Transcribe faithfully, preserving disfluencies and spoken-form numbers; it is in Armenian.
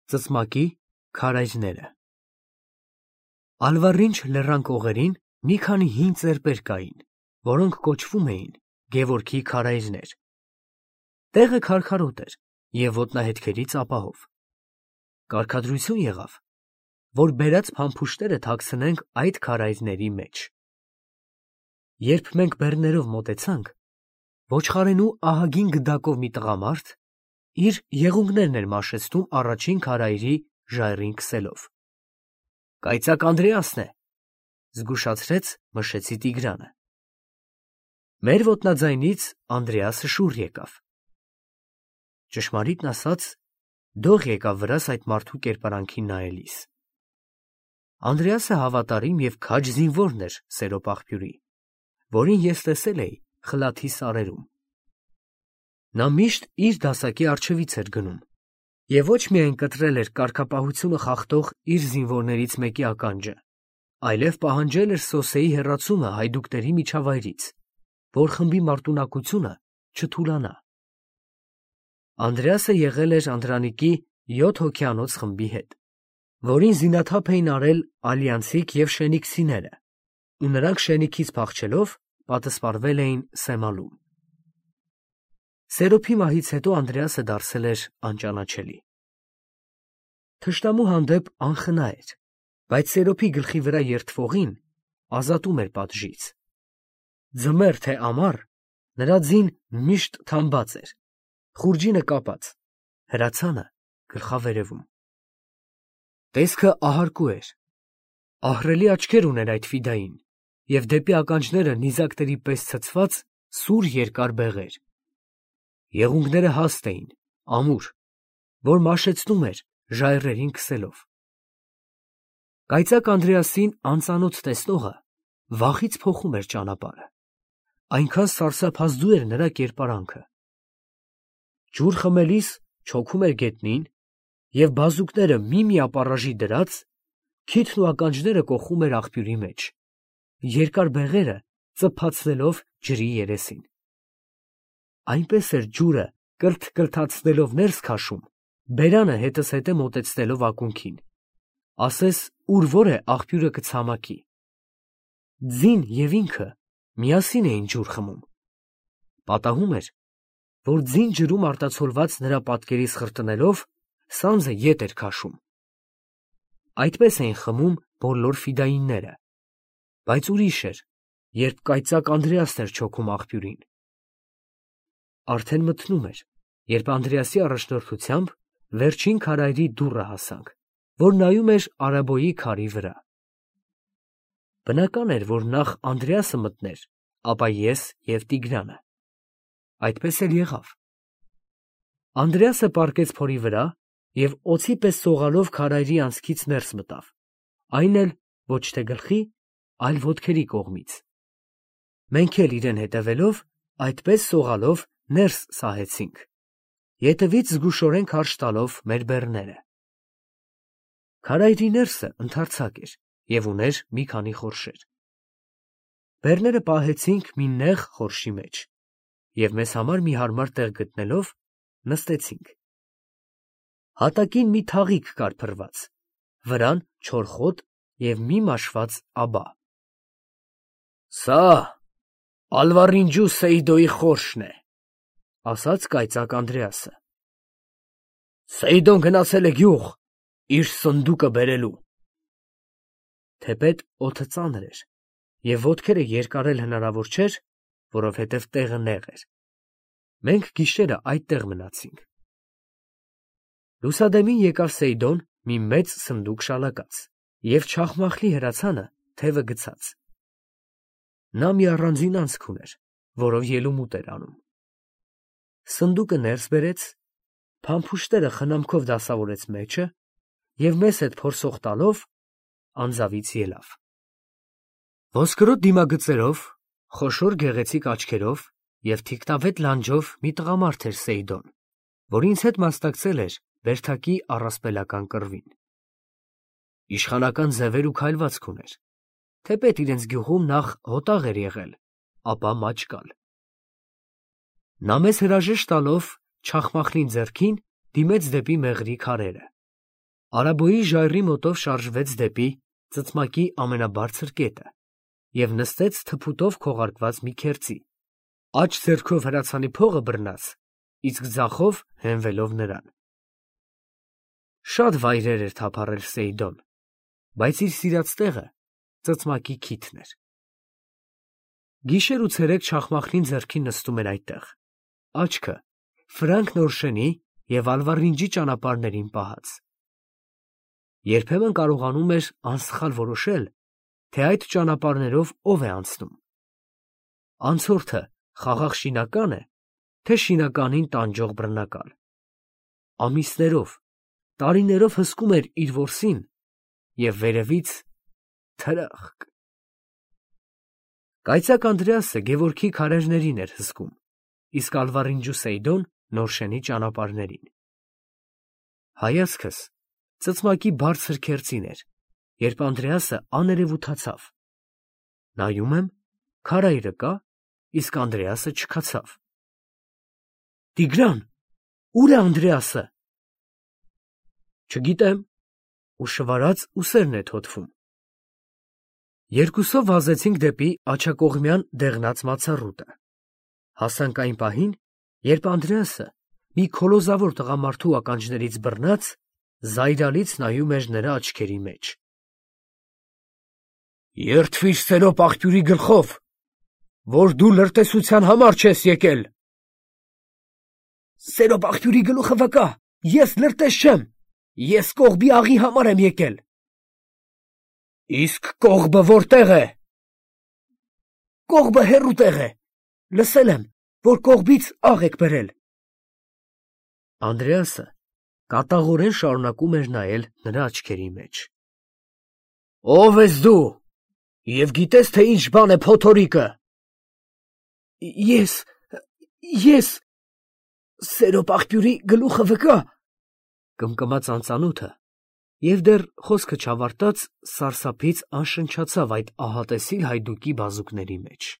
Ծծմակի քարայրները։ Ալվառինչ լեռան կողերին մի քանի հին ծեպեր կային, որոնք կոչվում էին Գևորգի քարայրներ։ Տեղը քարքարոտ էր և ոտնահետքերից ապահով։ Կարգադրություն եղավ, որ բերած փամփուշտները թաքցնենք այդ քարայրների մեջ։ Երբ մենք բեռներով մոտեցանք, ոչխարենու ահագին գդակով մի տղամարդ իր եղունգներն էր մաշեցնում առաջին քարայրի ժայռին քսելով։ Կայծակ Անդրեասն է, զգուշացրեց մշեցի Տիգրանը։ Մեր ոտնաձայնից Անդրեասը շուռ եկավ։ Ճշմարիտն ասած, դող եկավ վրաս այդ մարդու կերպարանքին նայելիս։ Անդրեասը հավատարիմ և քաջ զինվորն էր Սերոպ աղբյուրի, որին ես տեսել էի Խլաթի սարերում։ Նա միշտ իր դասակի առջևից էր գնում և ոչ միայն կտրել էր կարգապահությունը խախտող իր զինվորներից մեկի ականջը, այլև պահանջել էր Սոսեի հեռացումը հայդուկների միջավայրից, որ խմբի մարտունակությունը չթուլանա։ Անդրեասը եղել էր Անդրանիկի յոթ հոգյանոց խմբի հետ, որին զինաթափ էին արել Ալյանսիկ և Շենիքսիները, ու նրանք շենիքից փախչելով պատսպարվել էին Սեմալում։ Սերոփի մահից հետո Անդրեասը դարձել էր անճանաչելի։ Թշնամու հանդեպ անխնա էր, բայց Սերոփի գլխի վրա երդվողին ազատում էր պատժից։ Ձմեռ թե ամառ նրա ձին միշտ թամբած էր, խուրջինը կապած, հրացանը գլխավերևում։ Տեսքը ահարկու էր, ահռելի աչքեր ուներ այդ ֆիդային և դեպի ականջները նիզակների պես ցցված սուր երկար բեղեր։ Եղունգները հաստ էին, ամուր, որ մաշեցնում էր ժայռերին քսելով։ Կայծակ Անդրեասին անծանոթ տեսնողը վախից փոխում էր ճանապարհը, այնքան սարսափազդու էր նրա կերպարանքը։ Ջուր խմելիս չոքում էր գետնին և բազուկները մի֊մի ապառաժի դրած, քիթն ու ականջները կոխում էր աղբյուրի մեջ, երկար բեղերը ծփացնելով ջրի երեսին։ Այնպես էր ջուրը կրթ֊կրթացնելով ներս քաշում, բերանը հետզհետե մոտեցնելով ակունքին, ասես ուր որ է աղբյուրը կցամաքի։ Ձին և ինքը միասին էին ջուր խմում։ Պատահում էր, որ ձին ջրում արտացոլված նրա պատկերից խրտնելով, սանձը ետ էր քաշում։ Այդպես էին խմում բոլոր ֆիդայինները, բայց ուրիշ էր, երբ կայծակ Անդրեասն էր չոքում աղբյուրին։ Արդեն մթնում էր, երբ Անդրեասի առաջնորդությամբ վերջին քարայրի դուռը հասանք, որ նայում էր Արաբոյի քարի վրա։ Բնական էր, որ նախ Անդրեասը մտներ, ապա ես և Տիգրանը։ Այդպես էլ եղավ։ Անդրեասը պառկեց փորի վրա և օձի պես սողալով քարայրի անցքից ներս մտավ, այն էլ ոչ թե գլխի, այլ ոտքերի կողմից։ Մենք էլ իրեն հետևելով, այդպես սողալով ներս սահեցինք, ետևից զգուշորեն քարշ տալով մեր բեռները։ Քարայրի ներսը ընդարձակ էր և ուներ մի քանի խորշեր։ Բեռները պահեցինք մի նեղ խորշի մեջ և մեզ համար մի հարմար տեղ գտնելով, նստեցինք։ Հատակին մի թաղիկ կար փռված, վրան չոր խոտ և մի մաշված աբա։ «Սա Ալվառինջու Սեիդոյի խորշն է», ֊ ասաց կայծակ Անդրեասը։ «Սեիդոն գնացել է գյուղ իր սնդուկը բերելու»։ Թեպետ օդը ծանր էր, և ոտքերը երկարել հնարավոր չէր, որովհետև տեղը նեղ էր։ Մենք գիշերը այդտեղ մնացինք։ Լուսադեմին եկավ Սեիդոն մի մեծ սնդուկ շալակած և չախմախլի հրացանը թևը գցած։ Նա մի առանձին անցք ուներ, որով ելումուտ էր անում։ Սնդուկը ներս բերեց, փամփուշտները խնամքով դասավորեց մեջը և մեզ հետ փորձող տալով անձավից ելավ։ Ոսկրոտ դիմագծերով, խոշոր գեղեցիկ աչքերով և թիկնավետ լանջով մի տղամարդ էր Սեիդոն, որ ինձ հետ մասնակցել էր բերդակի առասպելական կռվին։ Իշխանական ձևեր ու քայլվածք ուներ, թեպետ իրենց գյուղում նախ հոտաղ էր եղել, ապա մաճկալ։ Նա մեզ հրաժեշտ տալով չախմախլին ձեռքին դիմեց դեպի մեղրի քարերը։ Արաբոյի ժայռի մոտով շարժվեց դեպի ծծմակի ամենաբարձր կետը և նստեց թփուտով քողարկված մի քերծի, աջ ձեռքով հրացանի փողը բռնած, իսկ ձախով հենվելով նրան։ Շատ վայրեր էր թափառել Սեիդոն, բայց իր սիրած տեղը ծծմակի քիթն էր։ Գիշեր ու ցերեկ Չախմախլին ձեռքին նստում էր այդտեղ, աչքը Ֆրանկ Նորշենի և Ալվարինջի ճանապարհներին պահած։ Երբեմն կարողանում էր անսխալ որոշել, թե այդ ճանապարհներով ով է անցնում։ Անցորդը խաղաղ շինակա՞ն է, թե շինականին տանջող բռնակալ։ Ամիսներով, տարիներով հսկում էր իր որսին և վերևից թրախկ։ Կայծակ Անդրեասը Գևորգի քարերներին էր հսկում, իսկ Ալվարինջու Սեիդոն Նորշենի ճանապարհներին։ Հայացքս ծծմակի բարձր քերծին էր, երբ Անդրեասը աներևութացավ։ Նայում եմ, քարայրը կա, իսկ Անդրեասը չքացավ։ Տիգրան, ո՞ւր է Անդրեասը։ Չգիտեմ, ու շվարած ուսերն է թոթվում։ Երկուսով վազեցինք դեպի աջակողմյան դեղնած մացառուտը։ Հասանք այն պահին, երբ Անդրեասը մի քոլոզավոր տղամարդու ականջներից բռնած, զայրալից նայում էր նրա աչքերի մեջ։ Երդվիր Սերոպ աղբյուրի գլխով, որ դու լրտեսության համար չես եկել։ Սերոպ աղբյուրի գլուխը վկա, ես լրտես չեմ, ես կողբի աղի համար եմ եկել։ Իսկ կողբը որտեղ է։ Կողբը հեռու տեղ է, լսել եմ, որ կողբից աղ եք բերել։ Անդրեասը կատաղորեն շարունակում էր նայել նրա աչքերի մեջ։ Ո՞վ ես դու, և գիտես, թե ինչ բան է փոթորիկը։ Ես, ես, Սերոպ աղբյուրի գլուխը վկա, կմկմաց անծանոթը, և դեռ խոսքը չավարտած սարսափից անշնչացավ այդ ահատեսիլ հայդուկի բազուկների մեջ։